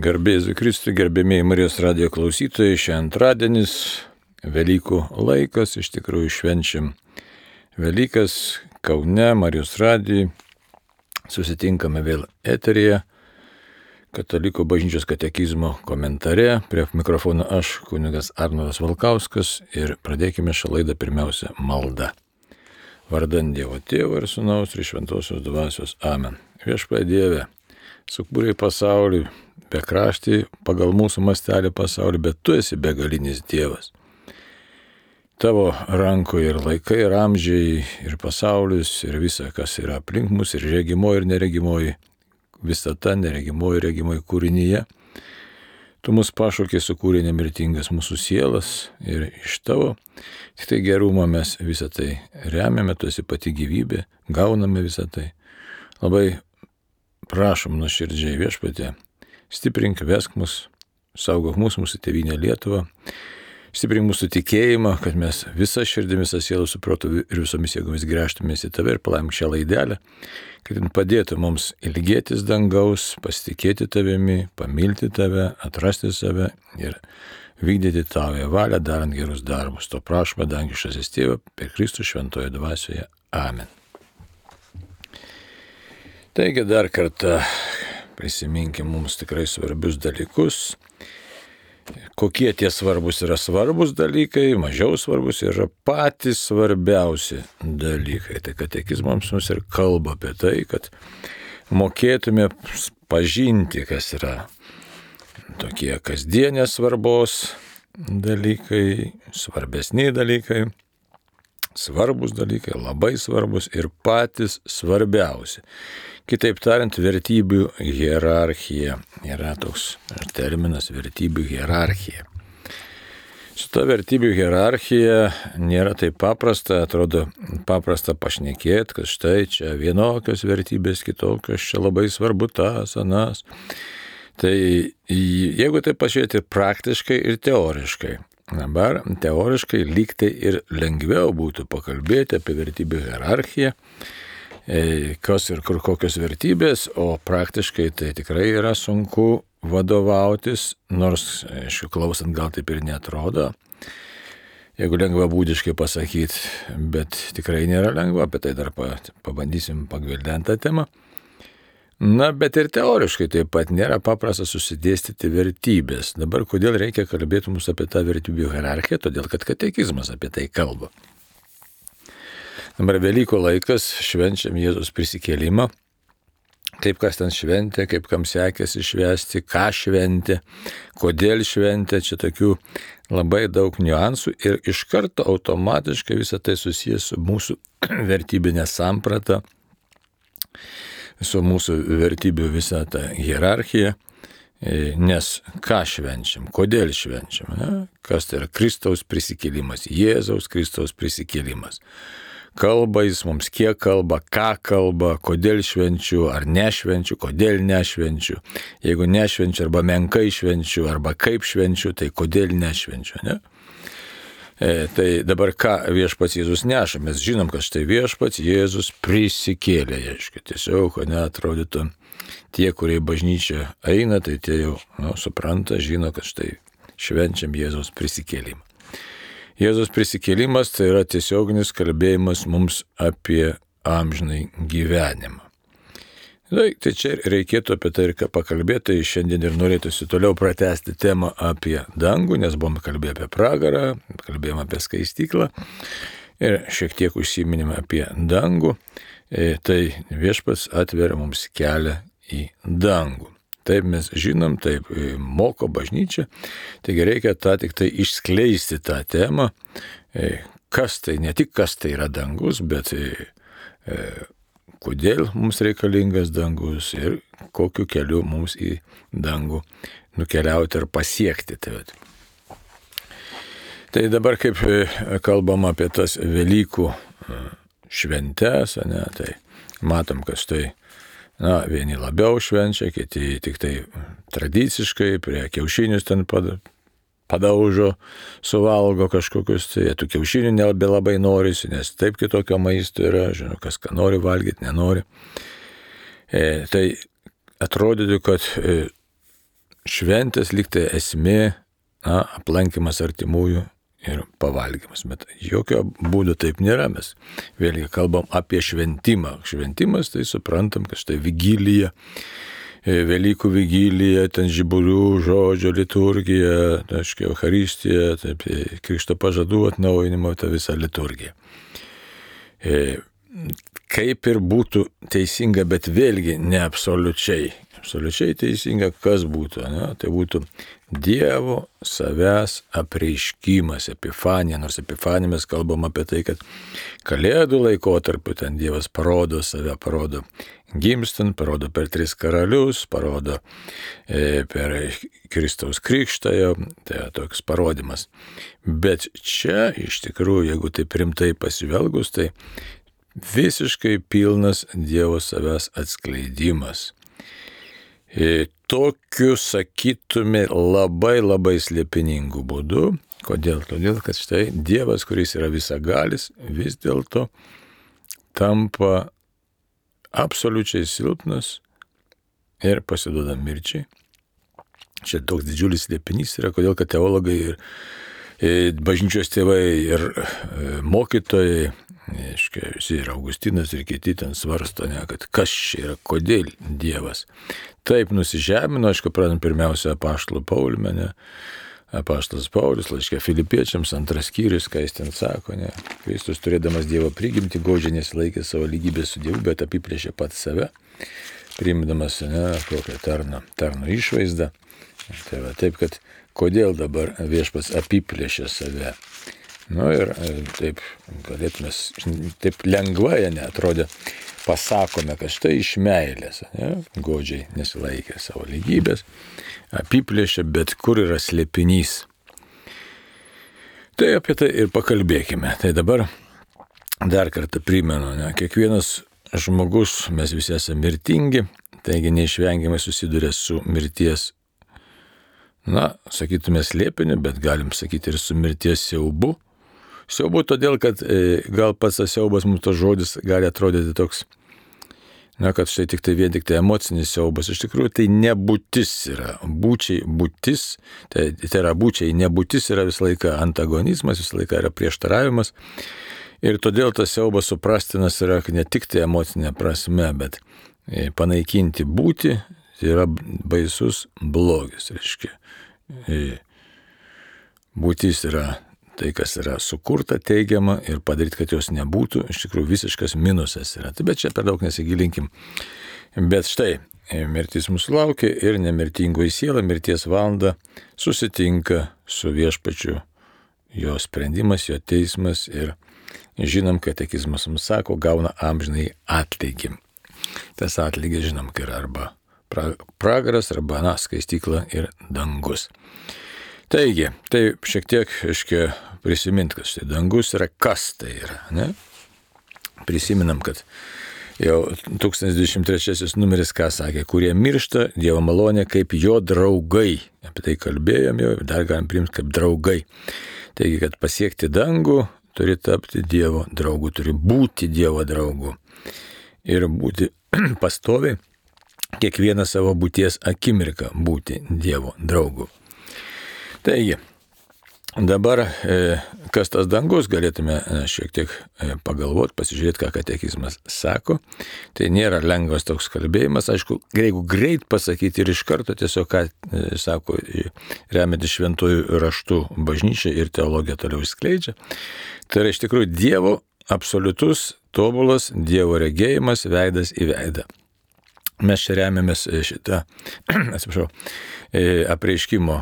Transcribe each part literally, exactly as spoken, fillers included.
Garbėzu Kristui, gerbėmiai Marijos radijo klausytojai, šiandien antradienis, Velykų laikas, iš tikrųjų švenčiam Velykas Kaune, Marijos radijai, susitinkame vėl eteryje, Katalikų bažnyčios katekizmo komentare, prie mikrofono aš, kunigas Arnoldas Valkauskas, ir pradėkime šią laidą pirmiausia malda. Vardan Dievo Tėvo ir Sūnaus ir Šventosios Dvasios. Amen. Viešpatie Dieve, sukūrei pasaulį, bekraštį pagal mūsų mastelį pasaulį, bet tu esi begalinis Dievas. Tavo rankoje ir laikai, ir amžiai, ir pasaulis, ir visa, kas yra aplink mus, ir regimoji, ir neregimoji, visata, neregimoji, regimoji kūrinyje. Tu mus pašaukei, sukūrė nemirtingas mūsų sielas, ir iš tavo tik tai gerumo mes visą tai remiame, tu esi pati gyvybė, gauname visą tai. Labai prašom nuoširdžiai, Viešpatie, stiprink, vesk mus, saugok mūsų, mūsų tėvynę Lietuvą, stiprink mūsų tikėjimą, kad mes visą širdį, visą sielą, su protu ir visomis jėgomis grįžtumės į tave ir palaimink šią laidelę, kad jin padėtų mums ilgėtis dangaus, pasitikėti tavimi, pamilti tave, atrasti save ir vykdyti tavo valią, darant gerus darbus. To prašome, dangiškasis Tėve, per Kristų šventoje dvasioje. Amen. Taigi dar kartą prisiminkim mums tikrai svarbius dalykus. Kokie tie svarbus yra svarbus dalykai, mažiau svarbus yra patys svarbiausi dalykai. Tai katekizmams mums ir kalba apie tai, kad mokėtume pažinti, kas yra tokie kasdienės svarbos dalykai, svarbesni dalykai, svarbus dalykai, labai svarbus ir patys svarbiausi. Kitaip tariant, vertybių hierarchija yra toks terminas, vertybių hierarchija. Su ta vertybių hierarchija nėra taip paprasta, atrodo paprasta pašnekėti, kad štai čia vienokios vertybės, kitokios, čia labai svarbu tas, anas. Tai jeigu tai pažiūrėti praktiškai ir teoriškai, dabar teoriškai lyg tai ir lengviau būtų pakalbėti apie vertybių hierarchiją, kas ir kur kokios vertybės, o praktiškai tai tikrai yra sunku vadovautis, nors, aišku, klausant gal taip ir neatrodo, jeigu lengvabūdiškai pasakyti, bet tikrai nėra lengva, apie tai dar pabandysim pagvildenti tą temą. Na, bet ir teoriškai taip pat nėra paprasta susidėstyti vertybės. Dabar kodėl reikia kalbėti mums apie tą vertybių hierarchiją? Todėl, kad katekizmas apie tai kalba. Dabar Velykų laikas, švenčiam Jėzaus prisikėlimą. Kaip kas ten šventė, kaip kam sekėsi švęsti, ką šventė, kodėl šventė, čia tokių labai daug niuansų ir iš karto automatiškai visą tai susijęs su mūsų vertybinė samprata, su mūsų vertybių visą tą hierarchiją, nes ką švenčiam, kodėl švenčiam, ne? Kas tai yra Kristaus prisikėlimas, Jėzaus Kristaus prisikėlimas. Kalba jis mums, kiek kalba, ką kalba, kodėl švenčiu, ar nešvenčiu, kodėl nešvenčiu. Jeigu nešvenčiu, arba menkai švenčiu, arba kaip švenčiu, tai kodėl nešvenčiu, ne? E, tai dabar ką viešpats Jėzus neša? Mes žinom, kad štai viešpats Jėzus prisikėlė, aišku, tiesiog, ne, atrodytų, tie, kurie į bažnyčią eina, tai tie jau nu, supranta, žino, kad štai švenčiam Jėzaus prisikėlimą. Jėzaus prisikėlimas tai yra tiesioginis kalbėjimas mums apie amžinai gyvenimą. Tai čia reikėtų apie tai ir pakalbėti, tai šiandien ir norėtųsi toliau pratęsti temą apie dangų, nes buvom kalbėję apie pragarą, kalbėjome apie skaistyklą ir šiek tiek užsiminėme apie dangų, tai viešpats atveria mums kelią į dangų. Taip mes žinom, taip moko bažnyčia, taigi reikia tą tik tai išskleisti tą temą, kas tai, ne tik kas tai yra dangus, bet kodėl mums reikalingas dangus ir kokiu keliu mums į dangų nukeliauti ir pasiekti. Tai, tai dabar kaip kalbam apie tas Velykų šventes, ne, tai matom, kad štai na, vieni labiau švenčia, kiti tik tai tradiciškai prie kiaušinius ten padaužo, suvalgo kažkokius, tai tų kiaušinių nelabai labai norisi, nes taip kitokio maisto yra, žinau, kas ką nori valgyti, nenori. E, tai atrodytų, kad e, šventės lyg tai esmė, na, aplankimas artimųjų ir pavalgymas. Bet jokio būdo taip nėra. Mes vėlgi kalbam apie šventimą. Šventimas tai suprantam, kad štai vigilija, Velykų vigilija, ten žiburių žodžio liturgija, aiškiai, Eucharistija, taip, Krikšto pažadų atnaujinimo, ta visa liturgija. Kaip ir būtų teisinga, bet vėlgi ne absoliučiai. Absoliučiai teisinga, kas būtų, ne? Tai būtų Dievo savęs apreiškimas, epifanija, nors epifanija mes kalbam apie tai, kad Kalėdų laikotarpiu ten Dievas parodo save, parodo gimstant, parodo per tris karalius, parodo e, per Kristaus krikštą, tai toks parodimas. Bet čia iš tikrųjų, jeigu taip rimtai pasivelgus, tai visiškai pilnas Dievo savęs atskleidimas. E, tokiu, sakytume, labai labai slėpiningų būdų. Kodėl? Todėl, kad štai Dievas, kuris yra visagalis, vis dėlto tampa absoliučiai silpnas ir pasiduoda mirčiai. Čia toks didžiulis slėpinys yra, kodėl, kad teologai ir, ir bažnyčios tėvai ir mokytojai, aiškiai, visi ir Augustinas ir kiti ten svarsto, ne, kad kas čia yra, kodėl Dievas taip nusižemino, aišku, pradant pirmiausia apaštalų Pauliumi, ne, apaštalas Paulius, laiške Filipiečiams, antras skyrius, ką jis ten sako, ne, Kristus turėdamas Dievo prigimtį, godžiai nesilaikė savo lygybės su Dievu, bet apiplėšė pats save, priimdamas, ne, kokią tarno, tarno išvaizdą. Tai va, taip, kad kodėl dabar viešpats apiplėšė save. Nu ir taip galėtume, taip lengvai, ne, atrodė, pasakome, kad štai iš meilės, ne, godžiai nesilaikė savo lygybės, apiplėšė, bet kur yra slėpinys. Tai apie tai ir pakalbėkime. Tai dabar dar kartą primenu, ne, kiekvienas žmogus, mes visi esame mirtingi, taigi neišvengiamai susiduria su mirties, na, sakytume slėpiniu, bet galim sakyti ir su mirties siaubu. Siaubu todėl, kad e, gal pats tas siaubas mums tas žodis gali atrodyti toks, na, kad štai tik tai vien tik tai emocinis siaubas. Iš tikrųjų, tai nebūtis yra. Būčiai, būtis, tai, tai yra būčiai, nebūtis yra visą laiką antagonizmas, visą laiką yra prieštaravimas. Ir todėl tas siaubas suprastinas yra ne tik tai emocinė prasme, bet e, panaikinti būti, tai yra baisus blogis, reiškia. E, būtis yra tai, kas yra sukurta, teigiama ir padaryti, kad jos nebūtų, iš tikrųjų visiškas minusas yra. Tai bet čia per daug nesigilinkim. Bet štai, mirtis mūsų laukia ir nemirtingoji siela mirties valandą susitinka su viešpačiu, jo sprendimas, jo teismas ir žinom, kad katekizmas mums sako, gauna amžinai atlygį. Tas atlygis žinom, kad yra arba pragaras, arba na, skaistykla ir dangus. Taigi, tai šiek tiek, aiškiai, prisimint, kad štai dangus yra, kas tai yra, ne? Prisiminam, kad jau tūkstantis dvidešimt trečiasis numeris, ką sakė, kurie miršta Dievo malonė kaip jo draugai. Apie tai kalbėjom jau, dar galim priimti kaip draugai. Taigi, kad pasiekti dangų, turi tapti Dievo draugu, turi būti Dievo draugu. Ir būti pastoviai, kiekvieną savo būties akimirką būti Dievo draugu. Taigi, dabar, kas tas dangus, galėtume šiek tiek pagalvoti, pasižiūrėti, ką katekizmas sako. Tai nėra lengvas toks kalbėjimas. Aišku, jeigu greit pasakyti ir iš karto tiesiog, ką sako, remiantis šventųjų raštų bažnyčia ir teologija toliau išskleidžia. Tai yra iš tikrųjų Dievo absoliutus, tobulas Dievo regėjimas veidas į veidą. Mes čia remiamės šitą, atsiprašau, apreiškimo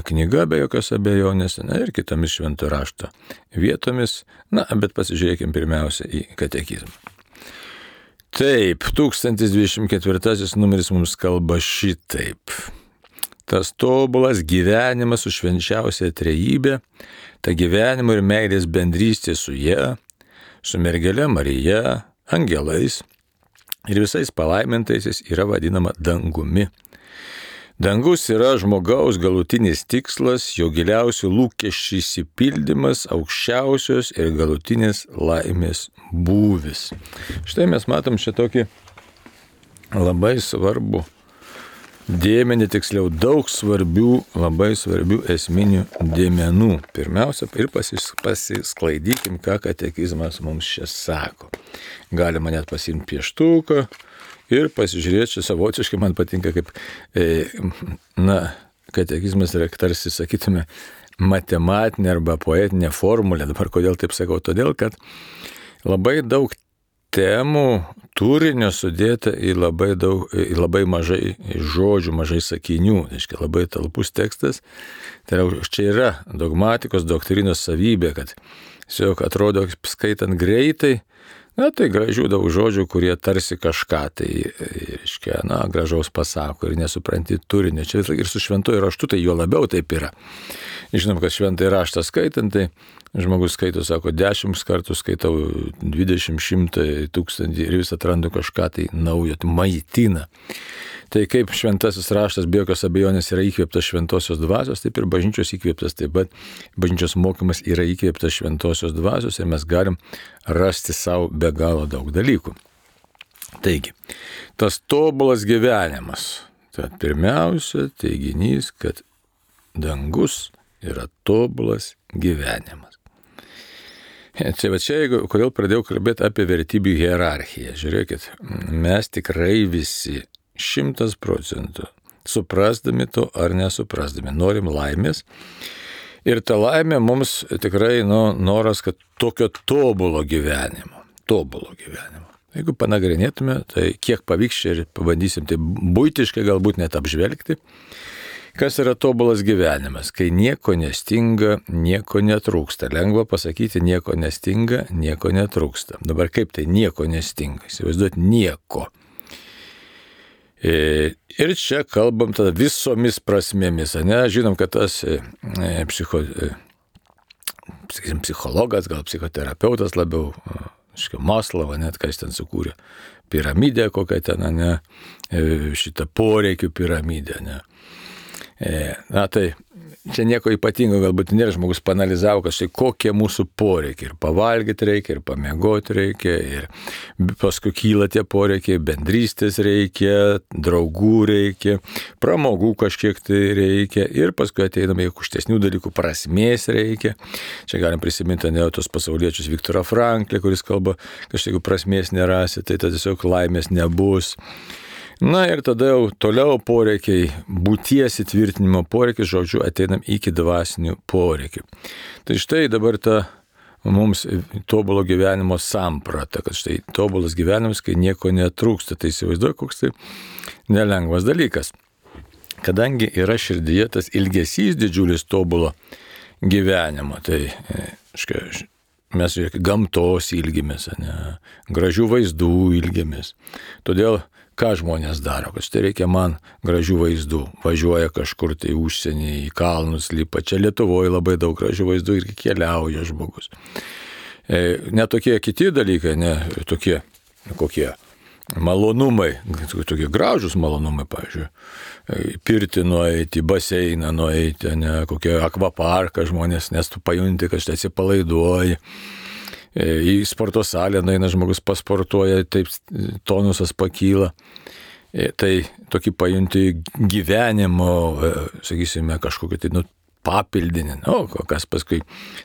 knyga be jokios abejonės, na ir kitomis švento rašto vietomis, na, bet pasižiūrėkime pirmiausia į katekizmą. Taip, tūkstantis dvidešimt ketvirtasis numeris mums kalba šitaip. Tas tobulas gyvenimas su švenčiausia trejybė, ta gyvenimo ir meilės bendrystė su ja, su mergele Marija, angelais, ir visais palaimintaisiais yra vadinama dangumi. Dangus yra žmogaus galutinis tikslas, jo giliausių lūkesčių išsipildymas, aukščiausios ir galutinės laimės būvis. Štai mes matom čia tokį labai svarbų dėmenį, tiksliau daug svarbių, labai svarbių esminių dėmenų. Pirmiausia, ir pasis, pasisklaidykim, ką katekizmas mums čia sako. Galima net pasiimti pieštuką ir pasižiūrėti, čia savotiškai man patinka, kaip, e, na, katekizmas yra tarsi, sakytume, matematinė arba poetinė formulė. Dabar kodėl taip sakau? Todėl, kad labai daug temų turinio sudėta į labai, daug, į labai mažai žodžių, mažai sakinių, reiškia labai talpus tekstas. Tai yra, čia yra dogmatikos, doktrinos savybė, kad tiesiog atrodo, skaitant greitai, na tai gražių daug žodžių, kurie tarsi kažką tai, reiškia, na, gražaus pasako ir nesupranti turinio. Čia ir su šventuoju raštu tai juo labiau taip yra. Žinom, kad šventąjį raštą skaitant, tai žmogus skaito, sako, dešimt kartų skaitau, dvidešimt, šimtą, tūkstantį ir vis atrandu kažką tai naujo, tai maitina. Tai kaip šventasis raštas be jokios abejonės yra įkvėptas šventosios dvasios, taip ir bažnyčios įkvėptas, taip pat bažnyčios mokymas yra įkvėptas šventosios dvasios ir mes galim rasti savo be galo daug dalykų. Taigi, tas tobulas gyvenimas, tai pirmiausia teiginys, kad dangus yra tobulas gyvenimas. Čia, va čia, jeigu, kodėl pradėjau kalbėti apie vertybių hierarchiją. Žiūrėkit, mes tikrai visi šimtas procentų suprasdami to ar nesuprasdami norim laimės. Ir ta laimė mums tikrai nu, noras, kad tokio tobulo gyvenimo, tobulo gyvenimo. Jeigu panagrinėtume, tai kiek pavyks čia ir pabandysim tai buitiškai galbūt net apžvelgti. Kas yra tobulas gyvenimas? Kai nieko nestinga, nieko netrūksta. Lengva pasakyti, nieko nestinga, nieko netrūksta. Dabar kaip tai nieko nestinga? Įsivaizduoti nieko. Ir čia kalbam tada visomis prasmėmis. Ne? Žinom, kad tas e, psicho, e, sakysim, psichologas, gal psichoterapeutas labiau, Maslova, net kas ten sukūrė, piramidę kokią ten, ne, šitą poreikių piramidę. Ne. Na tai, čia nieko ypatingo galbūt nėra, žmogus panalizavo, kad štai kokie mūsų poreikiai. Ir pavalgyti reikia, ir pamiegoti reikia, ir paskui kyla tie poreikiai, bendrystės reikia, draugų reikia, pramogų kažkiek tai reikia, ir paskui ateiname į aukštesnių dalykų, prasmės reikia. Čia galim prisiminti ne tos pasauliečius Viktorą Franklį, kuris kalba, kad štai jeigu prasmės nerasi, tai tada tiesiog laimės nebus. Na ir tada jau toliau poreikiai, būties įtvirtinimo poreikiai, žodžiu, ateinam iki dvasinių poreikių. Tai štai dabar ta mums tobulo gyvenimo samprata, kad štai tobulas gyvenimas, kai nieko netrūksta. Tai įsivaizduoju, koks tai nelengvas dalykas. Kadangi yra širdyje tas ilgesys didžiulis tobulo gyvenimo, tai škai, mes žiūrėk, gamtos ilgimės, ne, gražių vaizdų ilgimės. Todėl ką žmonės daro, kad štai reikia man gražių vaizdų, važiuoja kažkur tai užsienį, į kalnus lipa, čia Lietuvoje labai daug gražių vaizdų ir keliauja žmogus. E, ne tokie kiti dalykai, ne tokie, kokie malonumai, tokie gražus malonumai, pavyzdžiui, pirtį nueiti, baseiną nueiti, ne kokie akvaparką žmonės, nes tu pajunti, kad štai atsipalaiduoji. Į sporto salę nueina žmogus pasportuoja, taip tonusas pakyla. Tai tokį pajunti gyvenimo, sakysime, kažkokį tai nu, papildinį. Nu, kas paskui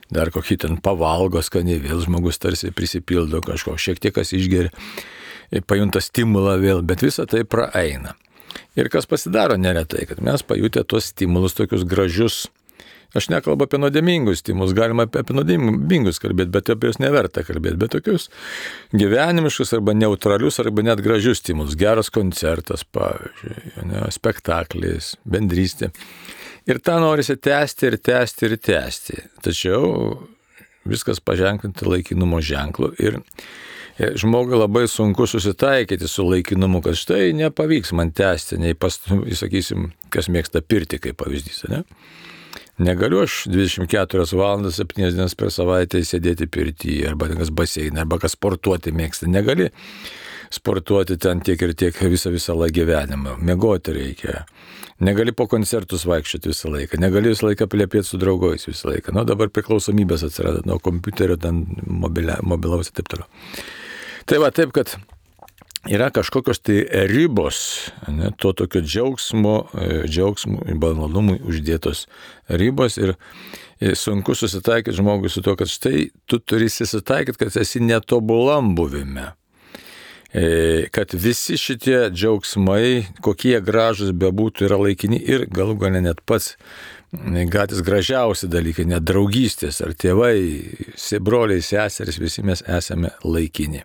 dar kokį ten pavalgo skaniai, vėl žmogus tarsi prisipildo kažko, šiek tiek kas išgeria, pajunta stimulą vėl, bet visa tai praeina. Ir kas pasidaro neretai, kad mes pajutę tuos stimulus, tokius gražius. Aš nekalbu apie nuodėmingus stimulus, galima apie, apie nuodėmingus kalbėti, bet apie juos neverta kalbėti, bet tokius gyvenimiškus arba neutralius arba net gražius stimulus. Geras koncertas, pavyzdžiui, ne, spektaklis, bendrystė. Ir tą norisi tęsti ir tęsti ir tęsti. Tačiau viskas paženklinti laikinumo ženklu ir žmogui labai sunku susitaikyti su laikinumu, kad štai nepavyks man tęsti, nei pas, sakysim, kas mėgsta pirtį kaip pavyzdys, ne? Negaliu aš dvidešimt keturias valandas, septynias dienas per savaitę sėdėti pirtyje, arba kas baseiną, arba kas sportuoti mėgsta. Negali sportuoti ten tiek ir tiek visą visą laiką gyvenimą. Miegoti reikia. Negali po koncertus vaikščioti visą laiką. Negali visą laiką plepėti su draugais visą laiką. Nu, dabar priklausomybės atsirado nuo kompiuterio, ten mobilia, mobilaus ir taip toliau. Tai va, taip, kad yra kažkokios tai ribos, ne, to tokio džiaugsmo, džiaugsmų ir malonumui uždėtos ribos ir, ir sunku susitaikyti žmogui su to, kad štai tu turi susitaikyti, kad esi netobulam buvime. Kad visi šitie džiaugsmai, kokie gražus bebūtų, yra laikini ir galų gale net pats gatys gražiausi dalykai, net draugystės ar tėvai, broliai, seserys, visi mes esame laikini.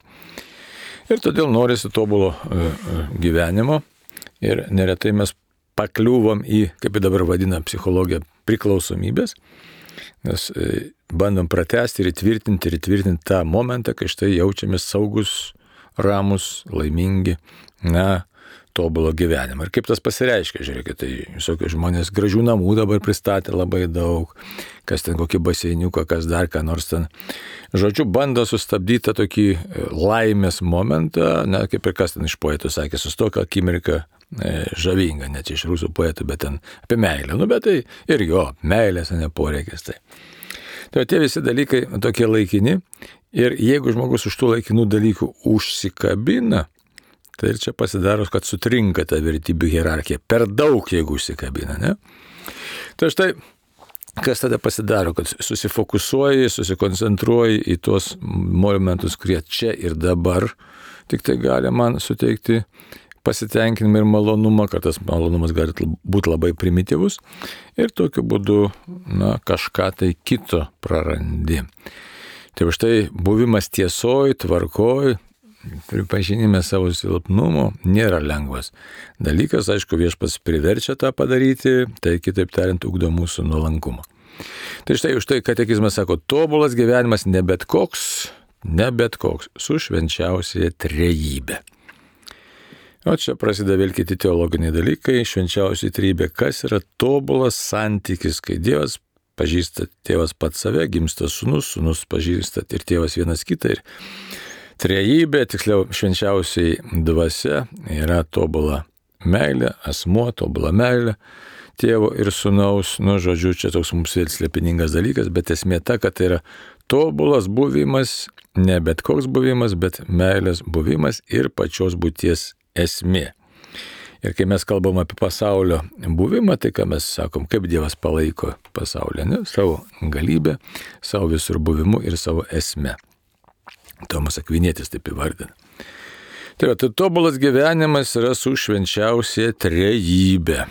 Ir todėl norisi tobulo gyvenimo ir neretai mes pakliūvam į, kaip dabar vadina psichologija, priklausomybės, nes bandom pratesti ir įtvirtinti ir įtvirtinti tą momentą, kai štai jaučiamės saugus, ramus, laimingi, na, tobulo gyvenimą. Ir kaip tas pasireiškia, žiūrėkit, tai visokie žmonės gražių namų dabar pristatė labai daug, kas ten kokį baseiniuką, kas dar ką nors ten. Žodžiu, bando sustabdyti tą tokį laimės momentą, na, kaip ir kas ten iš poetų sakė, sustok akimirką e, žavinga, net iš rusų poetų, bet ten apie meilę. Nu, bet tai ir jo, meilės, ne poreikis. Tai. Tai tie visi dalykai tokie laikini ir jeigu žmogus už tų laikinų dalykų užsikabina, tai ir čia pasidaro, kad sutrinka ta vertybių hierarchija. Per daug, jeigu užsikabina, ne? Tai štai, kas tada pasidaro, kad susifokusuoji, susikoncentruoji į tuos momentus, kurie čia ir dabar tik tai gali man suteikti pasitenkinimą ir malonumą, kad tas malonumas gali būti labai primityvus ir tokiu būdu, na, kažką tai kito prarandi. Tai štai buvimas tiesoj, tvarkoj, pripažinime savo silpnumo nėra lengvas dalykas, aišku, viešpats priverčia tą padaryti, tai kitaip tariant, ugdo mūsų nuolankumą. Tai štai už tai katekizmas sako, tobulas gyvenimas ne bet koks, ne bet koks, su švenčiausiaja trejybe. O čia prasideda vėl kiti teologiniai dalykai, švenčiausiaja trejybė, kas yra tobulas santykis, kai Dievas pažįsta tėvas pats save, gimsta sūnus, sūnus pažįsta ir tėvas vienas kitą ir trejybė, tiksliau švenčiausiai dvasia, yra tobula meilė, asmuo, tobula meilė, tėvo ir sūnaus, nu, žodžiu, čia toks mums vėl slėpiningas dalykas, bet esmė ta, kad tai yra tobulas buvimas, ne bet koks buvimas, bet meilės buvimas ir pačios būties esmė. Ir kai mes kalbam apie pasaulio buvimą, tai ką mes sakom, kaip Dievas palaiko pasaulį, ne? Savo galybę, savo visur buvimu ir savo esmę. Tomas Akvinietis taip įvardina. Tai yra, tai tobulas gyvenimas yra su švenčiausia trejybė.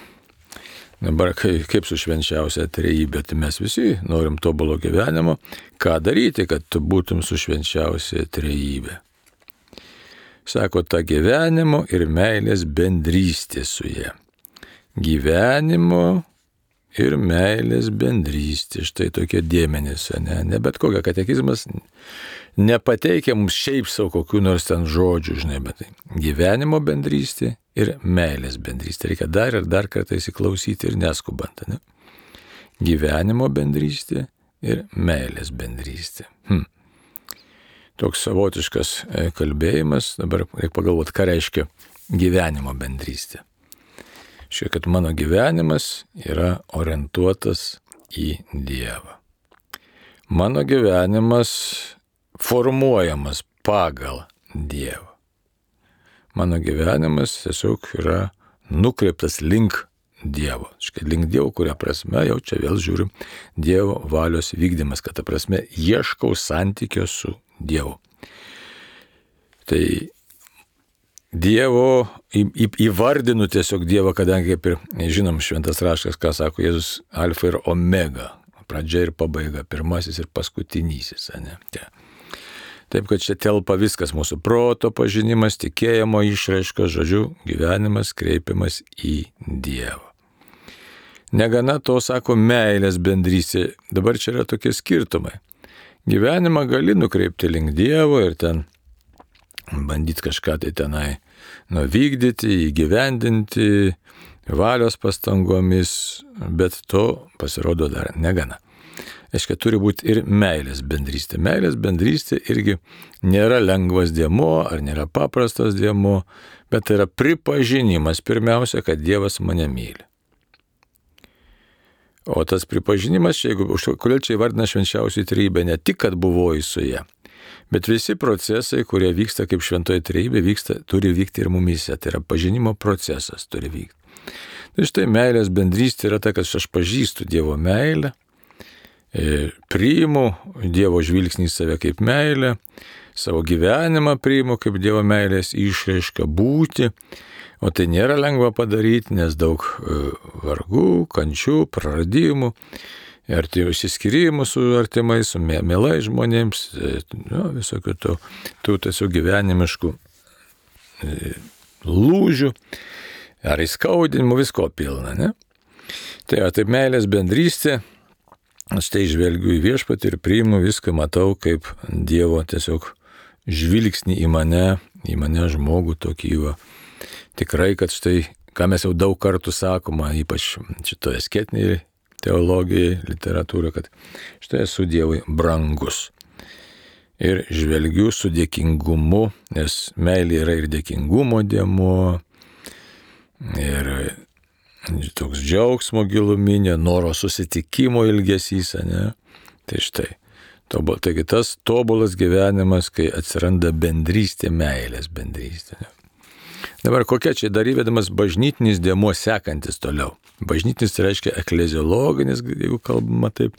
Dabar kaip su švenčiausia trejybė, tai mes visi norim tobulo gyvenimo. Ką daryti, kad tu būtum su švenčiausia trejybė? Sako, ta gyvenimo ir meilės bendrystė su ja. Gyvenimo ir meilės bendrystė. Štai tokie dėmenys, ne, ne bet kokia katekizmas nepateikia mums šiaip savo kokių nors ten žodžių, žinai, bet tai gyvenimo bendrystė ir meilės bendrystė. Reikia dar ir dar kartą įsiklausyti ir neskubant, ne? Gyvenimo bendrystė ir meilės bendrystė. Hm. Toks savotiškas kalbėjimas, dabar reikia pagalvoti, ką reiškia gyvenimo bendrystė. Šiek kad mano gyvenimas yra orientuotas į Dievą. Mano gyvenimas formuojamas pagal Dievą. Mano gyvenimas tiesiog yra nukreiptas link Dievo. Škai link Dievo, kuria prasme, jau čia vėl žiūrim, Dievo valios vykdymas, kad ta prasme ieškau santykio su Dievu. Tai Dievo, į, į, įvardinu tiesiog Dievą, kadangi, kaip ir žinom, šventas raštas, ką sako Jėzus, alfa ir omega, pradžia ir pabaiga, pirmasis ir paskutinysis, ne? Te. Taip, kad čia telpa viskas, mūsų proto pažinimas, tikėjimo išraiška, žodžiu, gyvenimas kreipiamas į Dievą. Negana to, sako, meilės bendrystė. Dabar čia yra tokie skirtumai. Gyvenimą gali nukreipti link Dievo ir ten bandyti kažką tai tenai nuvykdyti, įgyvendinti, valios pastangomis, bet to pasirodo dar negana. Aiškiai, turi būti ir meilės bendrystė. Meilės bendrystė irgi nėra lengvas dėmuo, ar nėra paprastas dėmuo, bet tai yra pripažinimas pirmiausia, kad Dievas mane myli. O tas pripažinimas, čia, jeigu, kodėl čia įvardina švenčiausią trejybę, ne tik, kad buvojai su ja, Bet visi procesai, kurie vyksta kaip šventoji trejybė, vyksta, turi vykti ir mumyse. Tai yra pažinimo procesas turi vykti. Tai štai meilės bendrystė yra ta, kad aš pažįstu Dievo meilę, priimu Dievo žvilgsnį į save kaip meilę, savo gyvenimą priimu kaip Dievo meilės išraišką būti, o tai nėra lengva padaryti, nes daug vargų, kančių, praradimų, išsiskyrimų su artimais, su mielais žmonėms, nu, visokių tų, tų tiesiog gyvenimiškų lūžių, ar įskaudinimų, visko pilna, ne? Tai, taip meilės bendrystė, aš tai žvelgiu į viešpatį ir priimu viską, matau kaip Dievo tiesiog žvilgsnį į mane, į mane žmogų tokį va. Tikrai, kad štai, ką mes jau daug kartų sakoma, ypač šitoje asketinėje teologijoje, literatūroje, kad štai esu Dievui brangus. Ir žvelgiu su dėkingumu, nes meilė yra ir dėkingumo dėmuo, ir toks džiaugsmo giluminė, noro susitikimo ilgesys, ne? Tai štai, tobul, taigi tas tobulas gyvenimas, kai atsiranda bendrystė, meilės bendrystė. Ne? Dabar kokia čia dar įvedamas bažnytinis dėmuo sekantis toliau. Bažnytinis tai reiškia ekleziologinis, jeigu kalbama taip,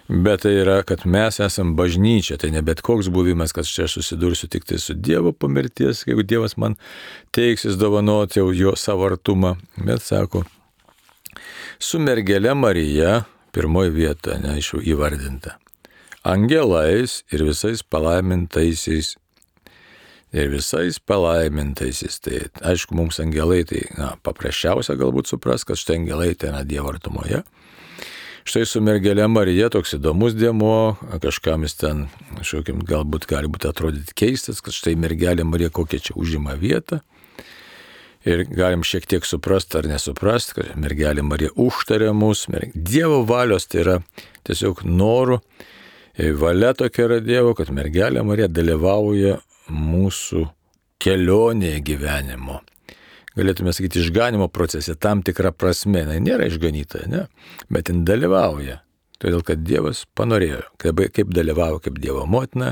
bet tai yra, kad mes esam bažnyčia, tai ne bet koks buvimas, kad čia susidursiu tik tai su Dievo po mirties, jeigu Dievas man teiksis dovanoti jau jo savo artumą, bet sako, su mergele Marija, pirmoji vieta, ne, iš jų įvardinta, angelais ir visais palaimintaisiais, ir visais palaimintaisiais, tai aišku, mums angelai, tai na, paprasčiausia galbūt supras, kad štai angelai tai yra Dievo artumoje. Štai su mergele Marija toks įdomus dėmuo, kažkam jis ten, kažkokiam, galbūt gali būti atrodyti keistas, kad štai mergelė Marija kokia čia užima vietą. Ir galim šiek tiek suprasti ar nesuprasti, kad mergelė Marija užtarė mus. Dievo valios tai yra tiesiog norų, valia tokia yra Dievo, kad mergelė Marija dalyvauja mūsų kelionėje gyvenimo. Galėtume sakyti, išganimo procese tam tikrą prasme. Na, nėra išganytoja, ne? Bet jin dalyvauja. Todėl, kad Dievas panorėjo, kaip, kaip dalyvauja kaip Dievo motina,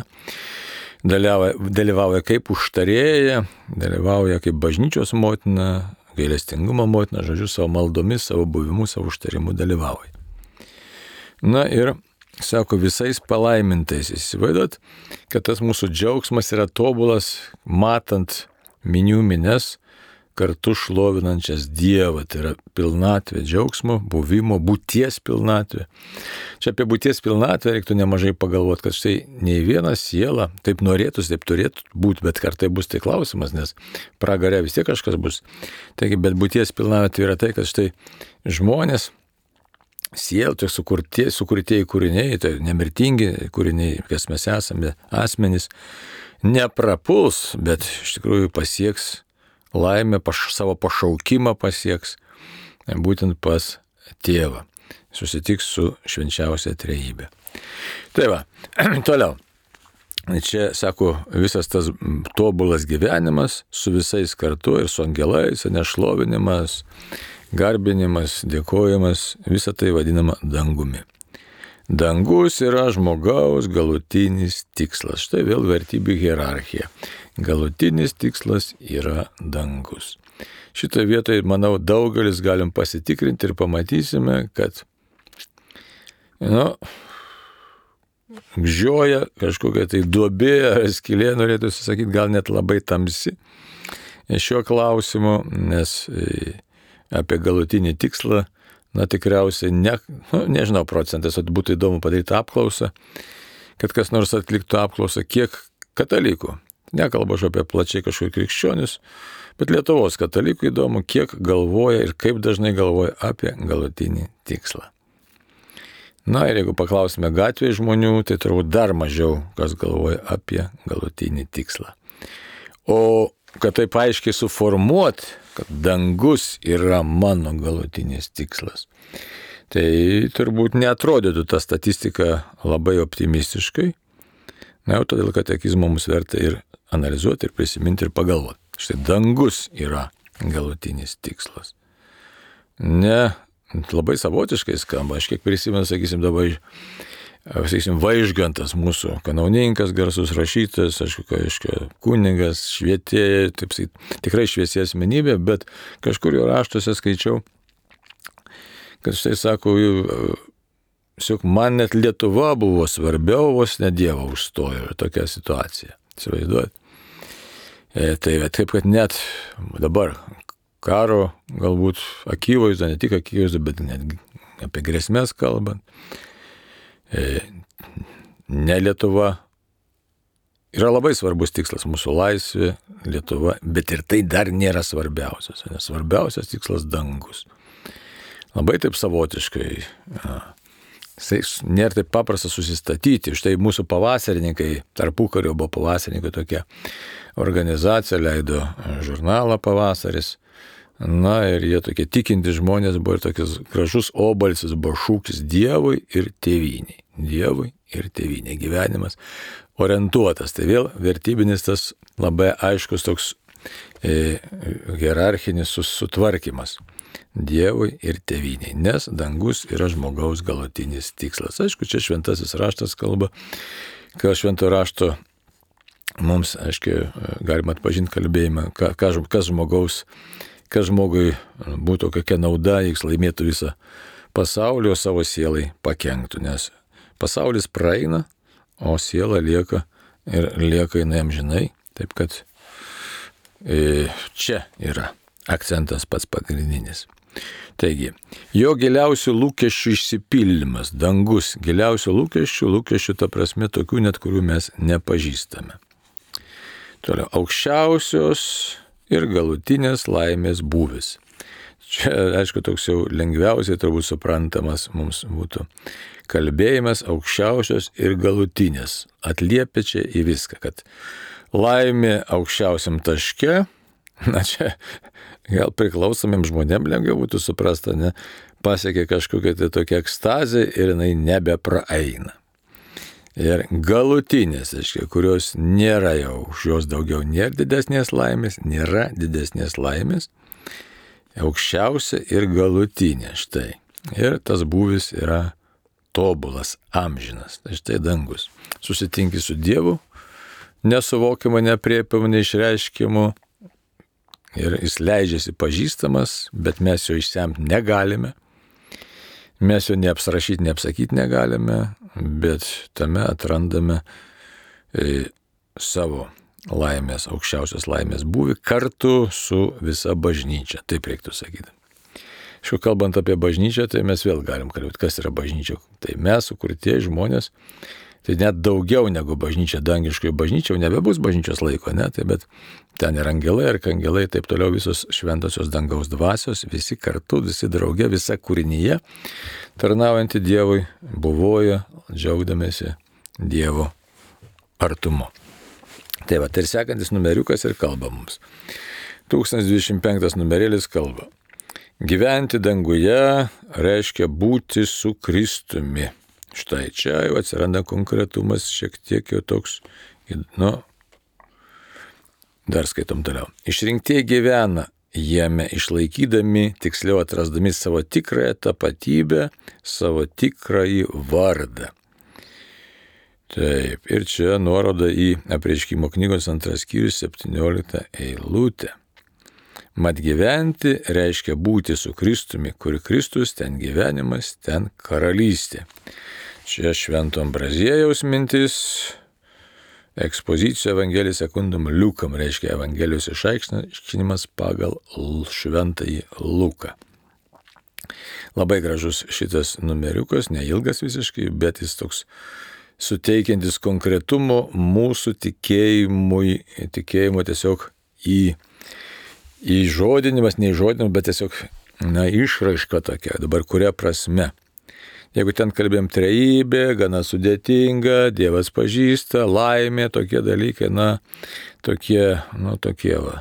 dalyvauja, dalyvauja kaip užtarėja, dalyvauja kaip bažnyčios motina, gailestingumo motina, žodžiu, savo maldomis, savo buvimu, savo užtarimu dalyvauja. Na ir sako, visais palaimintais. Įsivaizduot, kad tas mūsų džiaugsmas yra tobulas, matant minių mines, kartu šlovinančias Dievą. Tai yra pilnatvė džiaugsmo, buvimo, būties pilnatvė. Čia apie būties pilnatvę reiktų nemažai pagalvoti, kad štai nei viena siela taip norėtųsi, taip turėtų būti, bet kartai bus tai klausimas, nes pragare vis tiek kažkas bus. Taigi, bet būties pilnatvė yra tai, kad štai žmonės, siela, tai sukurtieji, sukurtieji kūriniai, tai nemirtingi kūriniai, kas mes esame, asmenys, neprapuls, bet iš tikrųjų pasieks laimę, paš, savo pašaukimą pasieks, būtent pas Tėvą. Susitiks su švenčiausia trejybė. Tai va, toliau. Čia, sako, visas tas tobulas gyvenimas su visais kartu ir su angelais, nešlovinimas, garbinimas, dėkojimas, visa tai vadinama dangumi. Dangus yra žmogaus galutinis tikslas. Štai vėl vertybių hierarchija. Galutinis tikslas yra dangus. Šitoje vietoje, manau, daugelis galim pasitikrinti ir pamatysime, kad, nu, gžioja kažkokia tai duobė ar skylė, norėtųsi sakyti, gal net labai tamsi šiuo klausimu, nes apie galutinį tikslą, na tikriausiai, ne, nu, nežinau procentas, būtų įdomu padaryti apklausą, kad kas nors atliktų apklausą, kiek katalikų, nekalbu aš apie plačiai kažkokius krikščionis, bet Lietuvos katalikų įdomu, kiek galvoja ir kaip dažnai galvoja apie galutinį tikslą. Na ir jeigu paklausime gatvėje žmonių, tai turbūt dar mažiau kas galvoja apie galutinį tikslą. O kad taip aiškiai suformuot, kad dangus yra mano galutinis tikslas, tai turbūt neatrodytų ta statistika labai optimistiškai. Na jau todėl katekizmo mums verta ir analizuoti, ir prisiminti, ir pagalvoti. Štai dangus yra galutinis tikslas. Ne, labai savotiškai skamba. Aš kiek prisimenu, sakysim, dabar sakysim, Vaižgantas, mūsų kanauninkas, garsus rašytojas, aišku, aišku, kunigas, švietėjas, taip sakyti, tikrai šviesi asmenybė, bet kažkur jo raštuose skaičiau, kad štai sako, siuk, man net Lietuva buvo svarbiau, vos ne Dievo užstojo ir tokia situacija. Įsivaizduojat? E, tai taip, kad net dabar karo galbūt akivaizdu, ne tik akivaizdu, bet net apie grėsmės kalbant, e, ne Lietuva yra labai svarbus tikslas, mūsų laisvė, Lietuva, bet ir tai dar nėra svarbiausias, nes svarbiausias tikslas dangus. Labai taip savotiškai, a, nėra taip paprasta susistatyti. Štai mūsų pavasarininkai, tarpukario buvo pavasarininkai, tokia organizacija leido žurnalą Pavasaris. Na ir jie tokie tikinti žmonės buvo ir tokius gražus obalsis buvo šūkis Dievui ir tėvyniai. Dievui ir tėvyniai. Gyvenimas orientuotas. Tai vėl vertybinis tas labai aiškus toks e, hierarchinis sutvarkymas. Dievui ir tėvyniai, nes dangus yra žmogaus galutinis tikslas. Aišku, čia šventasis raštas kalba, kad švento rašto mums, aišku, galima atpažinti kalbėjimą, kas žmogaus, kas žmogui būtų kokia nauda, jeigu laimėtų visą pasaulį, o savo sielai pakenktų, nes pasaulis praeina, o siela lieka ir lieka jinai amžinai, taip kad e, čia yra akcentas pats pagrindinis. Taigi, jo giliausių lūkesčių išsipildymas, dangus, giliausių lūkesčių, lūkesčių ta prasme tokių net, kurių mes nepažįstame. Toliau, aukščiausios ir galutinės laimės būvis. Čia, aišku, toks jau lengviausiai turbūt suprantamas mums būtų kalbėjimas aukščiausios ir galutinės. Atliepia čia į viską, kad laimė aukščiausiam taške, na čia gal priklausomiem žmonėm lengviau būtų suprasta, ne, pasiekia kažkokia tai tokia ekstazė ir jinai nebepraeina. Ir galutinės, aiškiai, kurios nėra jau, už jos daugiau nėra didesnės laimės, nėra didesnės laimės, aukščiausia ir galutinė, štai. Ir tas būvis yra tobulas, amžinas, tai štai dangus. Susitinki su Dievu, nesuvokiama, nepriepiama, neišreiškimu, ir jis leidžiasi pažįstamas, bet mes jo išsemti negalime. Mes jo neapsrašyti, neapsakyti negalime, bet tame atrandame e, savo laimės, aukščiausios laimės būvį kartu su visa bažnyčia, taip reiktų sakyti. Šiuo kalbant apie bažnyčią, tai mes vėl galim kalbėti, kas yra bažnyčia. Tai mes, sukurtieji žmonės, tai net daugiau negu bažnyčia, dangiškoji bažnyčia, jau nebebus bažnyčios laiko, ne, tai bet ten ir angelai, ir kangelai, taip toliau visos šventosios dangaus dvasios, visi kartu, visi drauge, visa kūrinyje, tarnaujantį Dievui, buvoja, džiaugdamėsi Dievo artumu. Tai va, tai ir sekantis numeriukas ir kalba mums. tūkstantis dvidešimt penktas numerėlis kalba. Gyventi danguje reiškia būti su Kristumi. Štai čia jau atsiranda konkretumas, šiek tiek jau toks, nu, dar skaitom toliau. Išrinktieji gyvena jame, išlaikydami, tiksliau atrasdami savo tikrąją tapatybę, savo tikrąjį vardą. Taip, ir čia nuoroda į Apreiškimo knygos antras skyrius septynioliktą eilutę. Mat gyventi reiškia būti su Kristumi, kur Kristus, ten gyvenimas, ten karalystė. Čia Švento Ambraziejaus mintis, ekspozicijų Evangelija sekundum Liukam, reiškia Evangelijos išaiškinimas pagal Šventąjį Luką. Labai gražus šitas numeriukas, neilgas visiškai, bet jis toks suteikiantis konkretumo mūsų tikėjimui, tikėjimo tiesiog į įžodinimas, neįžodinimas, bet tiesiog, na, išraiška tokia, dabar kuria prasme. Jeigu ten kalbėjom trejybė, gana sudėtinga, Dievas pažįsta, laimė, tokie dalykai, na, tokie, nu, tokie, va,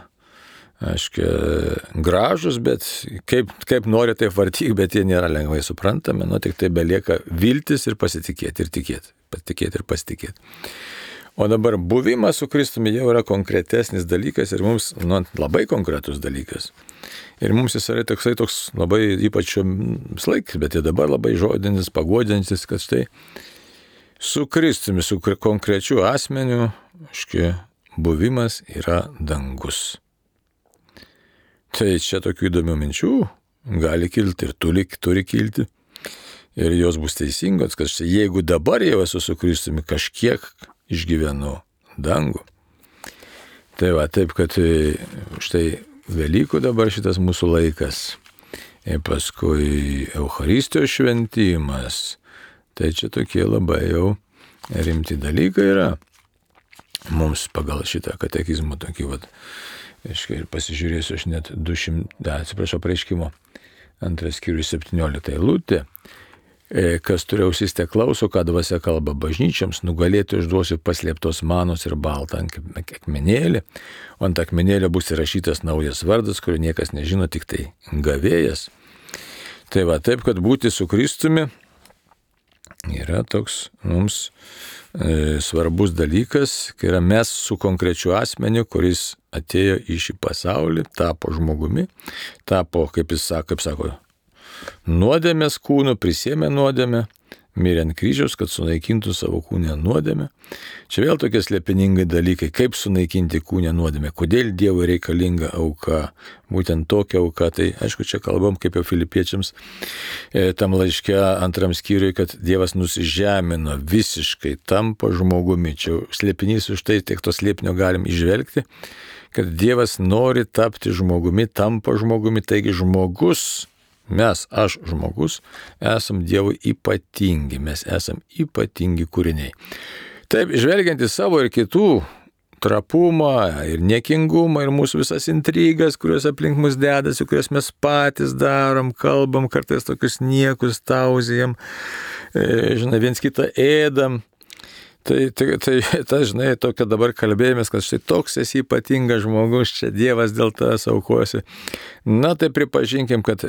aiškiai, gražus, bet kaip, kaip nori, taip vartyk, bet jie nėra lengvai suprantami, nu, tik tai belieka viltis ir pasitikėti, ir tikėti, pasitikėti ir pasitikėti. O dabar buvimas su Kristumi jau yra konkretesnis dalykas ir mums, nu, labai konkretus dalykas. Ir mums jis yra toksai toks labai, ypač šios laikas, bet ir dabar labai žodinis, paguodžiantis, kad štai Su Kristumi, su konkrečiu asmeniu, aiškiai, buvimas yra dangus. Tai čia tokių įdomių minčių gali kilti ir turi, turi kilti. Ir jos bus teisingos, kad štai, jeigu dabar jau esu su Kristumi, kažkiek išgyvenu dangų. Tai va, taip, kad štai Velykų dabar šitas mūsų laikas. Ir paskui Eucharistijos šventimas. Tai čia tokie labai jau rimti dalykai yra. Mums pagal šitą katekizmą tokį, vat, ir pasižiūrėsiu aš net du šimtai, atsiprašau, pareiškimo antras skyrius septyniolikta eilutė. Kas turi ausis te klauso, ką dvasia kalba bažnyčiams, nugalėtų išduosiu paslėptos manos ir baltą akmenėlį, o ant akmenėlio bus įrašytas naujas vardas, kurio niekas nežino, tik tai gavėjas. Tai va, taip, kad būti su Kristumi yra toks mums e, svarbus dalykas, kai yra mes su konkrečiu asmeniu, kuris atėjo į šį pasaulį, tapo žmogumi, tapo, kaip jis sako, kaip sako, nuodėmės kūnu, prisėmė nuodėmę, mirė ant kryžiaus, kad sunaikintų savo kūnę nuodėmę. Čia vėl tokie slėpiningai dalykai, kaip sunaikinti kūnę nuodėmę, kodėl Dievui reikalinga auka, būtent tokia auka. Tai aišku, čia kalbam kaip jau filipiečiams e, tam laiške antram skyriui, kad Dievas nusižemino visiškai, tampa žmogumi. Čia slėpinys už tai, tiek to slėpinio galim išvelgti, kad Dievas nori tapti žmogumi, tampa žmogumi, taigi žmogus, mes, aš žmogus, esam Dievui ypatingi, mes esam ypatingi kūriniai. Taip, žvelgiant į savo ir kitų trapumą ir niekingumą ir mūsų visas intrigas, kurios aplink mus dedasi, kurias mes patys darom, kalbam, kartais tokius niekus tauzijam, e, žinai, viens kitą ėdam. Tai, tai, tai, tai, žinai, tokia dabar kalbėjomės, kad štai toks esi ypatingas žmogus, čia Dievas dėl tavęs aukosi. Na, tai pripažinkim, kad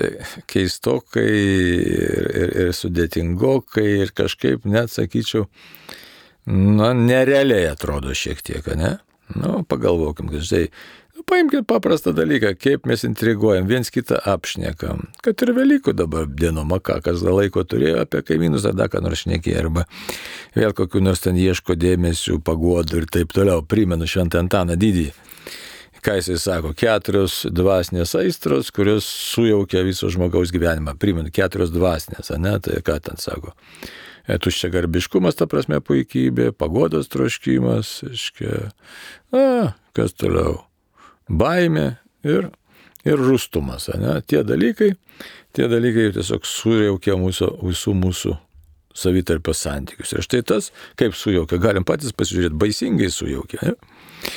keistokai ir, ir, ir sudėtingokai ir kažkaip net, sakyčiau, na, nerealiai atrodo šiek tiek, ne? Nu, pagalvokim, kad štai, paimkime paprastą dalyką, kaip mes intriguojam, viens kitą apšnekam, kad ir Velykų dabar dienoma, ką kas laiko turėjo apie kaimynus, tada ką nors šnekė, arba vėl kokių nors ten ieško dėmesių, paguodų ir taip toliau. Primenu Šventą Antaną Didįjį. Ką jisai sako? Keturios dvasinės aistros, kurios sujaukia viso žmogaus gyvenimą. Primenu, keturios dvasinės, ne? Tai ką ten sako? Tuščia garbiškumas, ta prasme puikybė, paguodos troškimas, iškia, a, kas toliau? Baimė ir, ir rūstumas. Ne? Tie dalykai, tie dalykai tiesiog sujaukia mūsų, visų mūsų savitarpio santykius. Ir štai tas, kaip sujaukia, galim patys pasižiūrėti, baisingai sujaukia. Ne?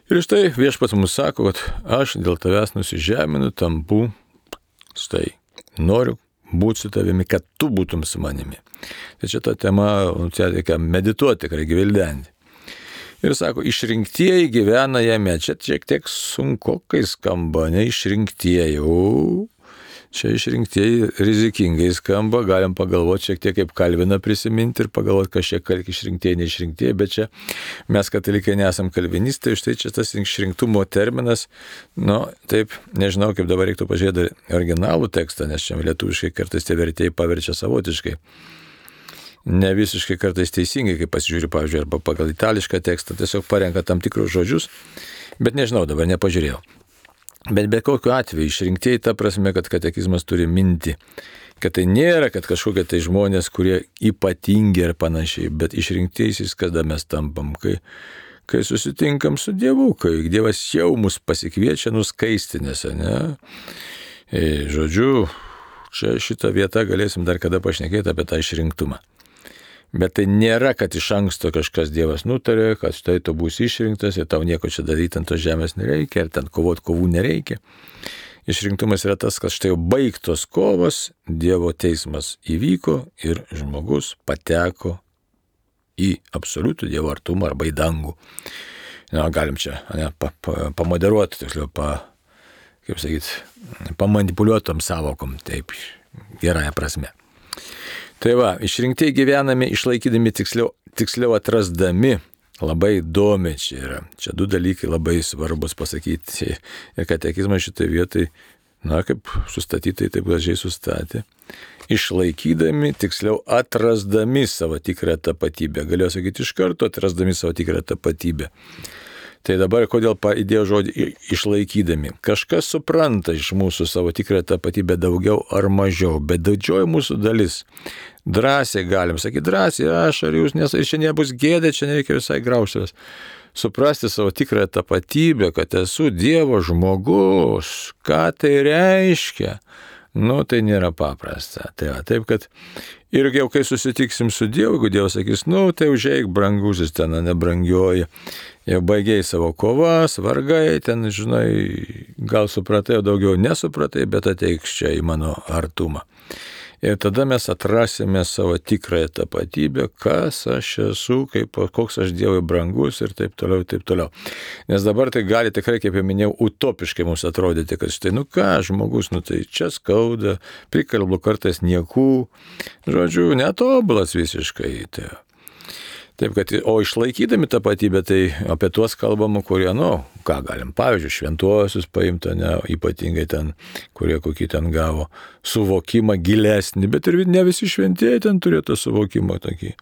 Ir štai viešpats mums sako, kad aš dėl tavęs nusižeminu, tampu, štai, noriu būti su tavimi, kad tu būtum su manimi. Tai čia ta tema, čia reikia medituoti, reikia gvildenti. Ir sako, išrinktieji gyvena jame. Čia šiek tiek sunkokai skamba, ne išrinktieji. O, čia išrinktieji rizikingai skamba. Galim pagalvoti šiek tiek kaip Kalviną prisiminti ir pagalvoti, kas šiek tiek išrinktieji, neišrinktieji. Bet čia mes katalikai nesam kalvinistai, štai čia tas išrinktumo terminas. Nu, taip, nežinau, kaip dabar reiktų pažiūrėti originalų tekstą, nes čia lietuviškai kartais tie vertėjai paverčia savotiškai. Ne visiškai kartais teisingai, kai pasižiūriu, pavyzdžiui, arba pagal itališką tekstą, tiesiog parenka tam tikrus žodžius, bet nežinau, dabar nepažiūrėjau. Bet be kokiu atveju išrinktieji ta prasme, kad katekizmas turi minti, kad tai nėra, kad kažkokie tai žmonės, kurie ypatingi ir panašiai, bet išrinktiesiais, kada mes tampam, kai, kai susitinkam su Dievu, kai Dievas jau mus pasikviečia nuskaistinėse, ne? E, žodžiu, čia šitą vietą galėsim dar kada pašnekėti apie tą išrinktumą. Bet tai nėra, kad iš anksto kažkas Dievas nutarė, kad štai tu būsi išrinktas ir tau nieko čia daryti ant tos žemės nereikia, ir ten kovot kovų nereikia. Išrinktumas yra tas, kad štai jau baigtos kovos, Dievo teismas įvyko ir žmogus pateko į absoliutų Dievo artumą arba į dangų. Na, galim čia ne, pa, pa, pamoderuoti, tiksliau, pa, kaip sakyti, pamanipuliuotom savokom, taip, gerąją prasme. Tai va, išrinktieji gyvename, išlaikydami tiksliau, tiksliau atrasdami, labai įdomi čia yra. Čia du dalykai labai svarbus pasakyti. Ir katekizmas šitoje vietoje Na, kaip sustatytai taip gražiai sustatė. Išlaikydami, tiksliau atrasdami savo tikrą tapatybę. Galėjau sakyti iš karto, atrasdami savo tikrą tapatybę. Tai dabar kodėl įdėjau žodį išlaikydami. Kažkas supranta iš mūsų savo tikrą tapatybę daugiau ar mažiau, bet didžioji mūsų dalis. Drąsiai galim sakyti, drąsiai, aš ar jūs, nes ir čia nebus gėdė, čia nereikia visai graužtis. Suprasti savo tikrą tapatybę, kad esu Dievo žmogus, ką tai reiškia. Nu, tai nėra paprasta. Tai va, taip, kad ir jau kai susitiksim su Dievu, jeigu Dievas sakys, nu, tai užeik brangusis ten, nebrangioji, jau baigiai savo kovas, vargai, ten, žinai, gal supratai, o daugiau nesupratai, bet ateiks čia į mano artumą. Ir tada mes atrasime savo tikrąją tapatybę, kas aš esu, kaip, koks aš Dievui brangus ir taip toliau, taip toliau. Nes dabar tai gali tikrai, kaip jau minėjau, utopiškai mums atrodyti, kad štai, nu ką, žmogus, nu tai čia skauda, prikalbu kartais niekų, žodžiu, netobulas visiškai. Tai. Taip, kad, o išlaikydami tapatybę, tai apie tuos kalbama, kurie, nu, ką galim, pavyzdžiui, šventuosius paimti, ne, ypatingai ten, kurie kokį ten gavo suvokimą gilesnį, bet ir ne visi šventieji ten turėtų suvokimą tokį.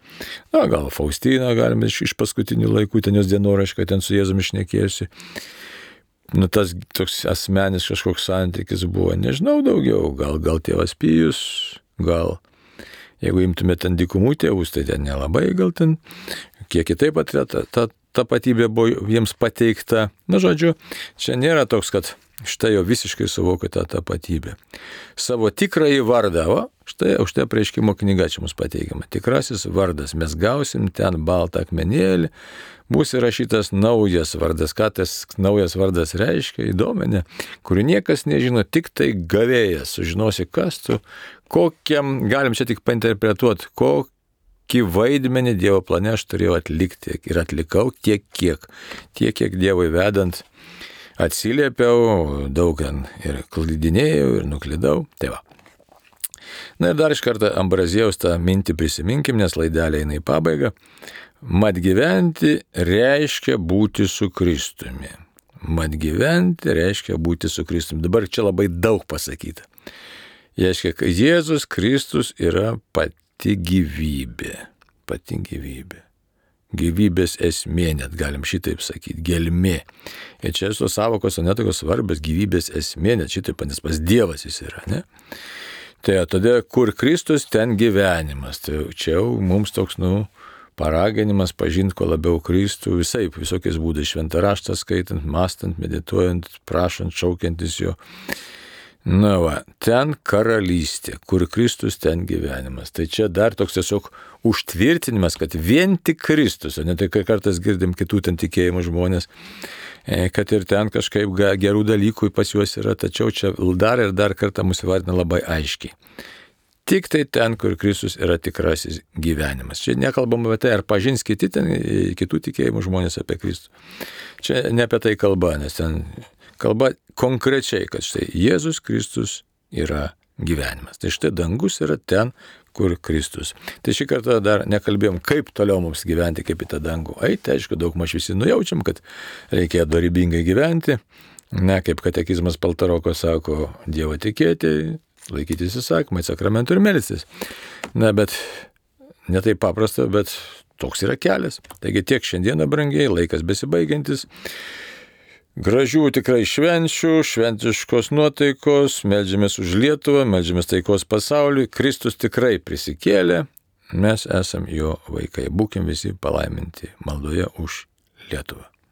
Na, gal Faustiną galime iš, iš paskutinių laikų, ten jos dienoraškai, ten su Jėzumi šnekėjusi. Nu, tas toks asmenis kažkoks santykis buvo, nežinau daugiau, gal, gal tėvas Pijus, gal... Jeigu imtume ten dykumų tėvus, tai ten nelabai gal ten, kiek kitaip ta, ta, ta tapatybė buvo jiems pateikta. Na, žodžiu, čia nėra toks, kad štai jau visiškai suvokia tą tapatybę. Savo tikrąjį vardą, o štai už tai apreiškimo knyga čia mums pateikiama. Tikrasis vardas, mes gausim ten baltą akmenėlį, bus įrašytas naujas vardas. Ką tas naujas vardas reiškia, įdomi, kurių niekas nežino, tik tai gavėjas. Sužinosi, kas tu, kokiam, galim čia tik painterpretuoti, kokį vaidmenį Dievo plane aš turėjau atlikti ir atlikau tiek kiek. Tiek kiek Dievui vedant atsiliepiau, daug ir klydinėjau ir nuklydau. Tai va. Na ir dar iš karto Ambraziejaus tą mintį prisiminkim, nes laidelė eina į pabaigą. Mat gyventi reiškia būti su Kristumi. Mat gyventi reiškia būti su Kristumi. Dabar čia labai daug pasakyta. Reiškia, kad Jėzus Kristus yra pati gyvybė. Pati gyvybė. Gyvybės esmė, net galim šitaip sakyti, gelmė. Ir čia tos savokos netokios svarbios, gyvybės esmė, net šitaip, nes pas Dievas jis yra, ne? Tai tada, kur Kristus, ten gyvenimas. Tai čia jau mums toks, nu, paraginimas pažinti kuo labiau Kristų, visai, visokiais būdais, šventą raštą skaitant, mąstant, medituojant, prašant, šaukiantis jo. Na va, ten karalystė, kur Kristus, ten gyvenimas. Tai čia dar toks tiesiog užtvirtinimas, kad vien tik Kristus, o ne tai, kai kartais girdim kitų ten tikėjimų žmonės, kad ir ten kažkaip gerų dalykų pas juos yra, tačiau čia dar ir dar kartą mūsų vardina labai aiškiai. Tik tai ten, kur Kristus yra tikrasis gyvenimas. Čia nekalbam apie tai, ar pažins kiti ten, kitų tikėjimų žmonės apie Kristų. Čia ne apie tai kalba, nes ten kalba konkrečiai, kad štai Jėzus Kristus yra gyvenimas. Tai štai dangus yra ten, kur Kristus. Tai šį kartą dar nekalbėjom, kaip toliau mums gyventi, kaip į tą dangų. Ai, tai aišku, daug maž visi nujaučiam, kad reikia dorybingai gyventi. Ne, kaip katekizmas Paltaroko sako, Dievo tikėti, laikytis įsakymai, sakramentų ir melstis. Na, bet ne taip paprasta, bet toks yra kelias. Taigi tiek šiandieną, brangiai, laikas besibaigiantis. Gražių tikrai švenčių, šventiškos nuotaikos, meldžiamės už Lietuvą, meldžiamės taikos pasauliui. Kristus tikrai prisikėlė, mes esam jo vaikai. Būkim visi palaiminti maldoje už Lietuvą.